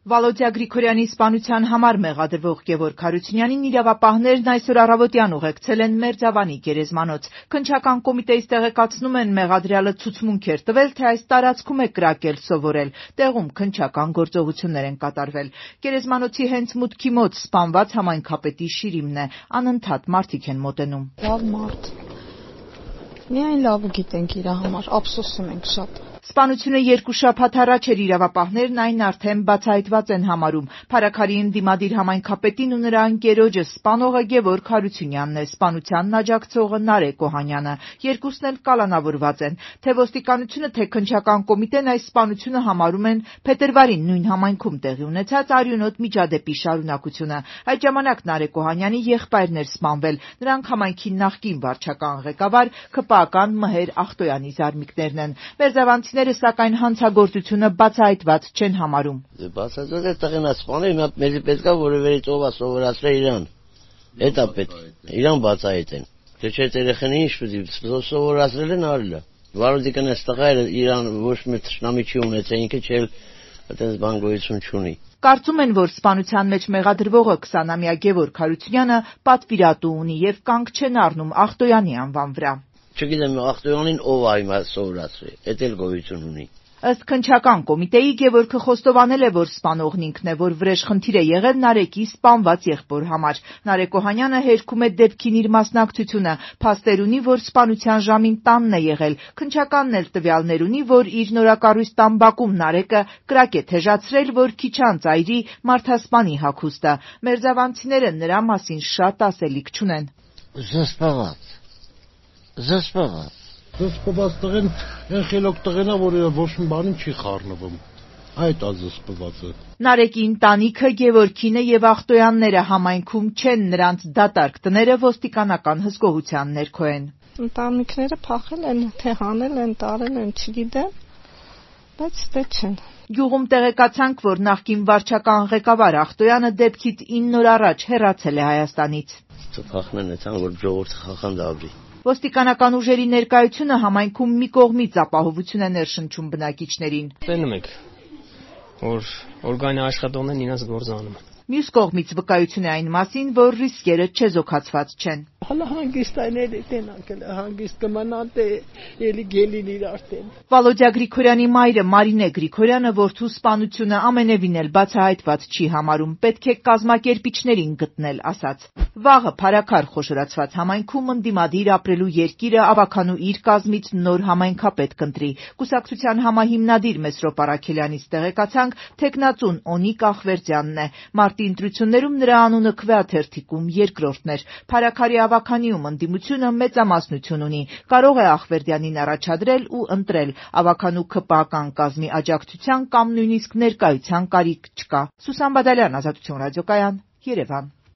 Վալոդիա Գրիգորյանի սպանության համար մեղադրվող Գևորգ Հարությունյանին իրավապահներն այսօր առավոտյան ուղեկցել են Մերձավանի գերեզմանոց։ Քննչական կոմիտեից տեղեկացնում են, մեղադրյալը ցուցմունք էր տվել, թե այս տարածքում է կրակել սովորել։ Տեղում քննչական գործողություններ են կատարվել։ Գերեզմանոցի հենց մուտքի մոտ սպանված համայնքապետի շիրիմն է։ Անընդհատ մարդիկ են մոտենում։ Լավ մարդ։ Միայն լավը գիտենք իր համար, ափսոսում ենք շատ։ Սպանությունը 2 շաբաթ առաջ էր, իրավապահներն այն արդեն բացահայտված են համարում։ Փարաքարի ընդդիմադիր համայնքապետին ու նրա ընկերոջը սպանողը Գևորգ Հարությունյանն է, սպանությանն աջակցողը Նարեկ Օհանյանը։ Երկուսն էլ կալանավորված են։ Թե ոստիկանությունը, թե քննչական կոմիտեն այս սպանությունը համարում են փետրվարին նույն համայնքում տեղի ունեցած արյունոտ միջադեպի շարունակությունը։ Այդ ժամանակ Նարեկ Օհանյանի եղբայրն էր սպանվել։ Նրանք համայնքի նախկին վարչական ղեկավար ՔՊԱ-կան Մհեր Ախտոյանի զարմիկներն են։ Մերձավանցիները սակայն հանցագործությունը բացահայտված չեն համարում։ Բացահայտված է տղեն սպանել, մեզ պետք է որևէ ով սովորացրել իրան։ Դա պետք է իրան բացահայտեն։ Թե չէ երեխան ինչ պետք է սովորացրել են արել։ Վարորդիկն այս տղայը իրան ոչ մի թշնամի չի ունեցել, ինքը չէ այդպես բան գոյություն չունի։ Կարծում են, որ սպանության մեջ մեղադրվողը 20-ամյա Գևորգ Հարությունյանը պատվիրատու ունի եւ կանգ չեն առնում Ախտոյանի անվան վրա։ Չգիտեմ Ախտոյանին ով է հիմա սովորացրել, դա էլ գոյություն ունի։ Ըստ քննչական կոմիտեի Գևորգը խոստովանել է, որ սպանողն ինքն է, որ վրեժխնդիր է եղել Նարեկի սպանված եղբոր համար։ Նարեկ Օհանյանը հերքում է դեպքին իր մասնակցությունը, փաստեր ունի, որ սպանության ժամին տանն է եղել։ Քննչականն էլ տվյալներ ունի, որ իր նորակառույց տան բակում Նարեկը կրակ է թեժացրել, որ քիչ անց այրի մարդասպանի հագուստը։ Մերձավանցիները նրա մասին շատ ասելիք չունեն։ Զսպված Զսպված տղեն, այն խելոք տղեն է, որ ոչ մի բանին չի խառնվում։ Այդ ազսպվածը։ Նարեկի ընտանիքը, Գևորգինը եւ Ախտոյանները համայնքում չեն, նրանց դատարկ տները ոստիկանական հսկողության ներքո են։ Ընտանիքները փախել են, թե հանել են, տարել են, չգիտեմ, բայց դե չեն։ Գյուղում տեղեկացանք, որ նախկին վարչական ղեկավար Ախտոյանը դեպքից 9 օր առաջ հեռացել է Հայաստանից։ Փախնեն այդան, որ ժողովուրդը խախանդաբրի։ Ոստիկանական ուժերի ներկայությունը համայնքում մի կողմից ապահովություն է ներշնչում բնակիչներին։ Տենում եք, որ օրգանի աշխատողներն իրենց գործ անում են։ Մյուս կողմից վկայություն է այն մասին, որ ռիսկերը չեզոքացված չեն։ Հələ հանգիստայների տենակել հանգիստ կմնան թե ելի գելին իր արդեն։ Վալոդիա Գրիգորյանի մայրը Մարինե Գրիգորյանը որդու սպանությունը ամենևին էլ բացահայտված չի համարում, պետք է կազմակերպիչներին գտնել, ասաց։ Վաղը Փարաքար խոշորացված համայնքում ընդդիմադիր ապրելու երկիրը ավականու իր կազմից նոր համայնքապետ կընտրի։ Կուսակցության համահիմնադիր Մեսրոպ Առաքելյանից տեղեկացանք, թեկնածուն Օնիկ Ախվերդյանն է։ Մարտի ընտրություններում նրա անունը քվեաթերթիկում երկրորդն էր։ Փարաքարի ավականիում ընդդիմությունը մեծամասնություն ունի։ Կարող է Ախվերդյանին առաջադրել ու ընտրել։ Ավականու ՔՊԱ-կան կազմի աջակցության կամ նույնիսկ ներկայության կարիք չկա։ Սուսան Բադալյան, Ազատություն ռադիոկայան, Երևան։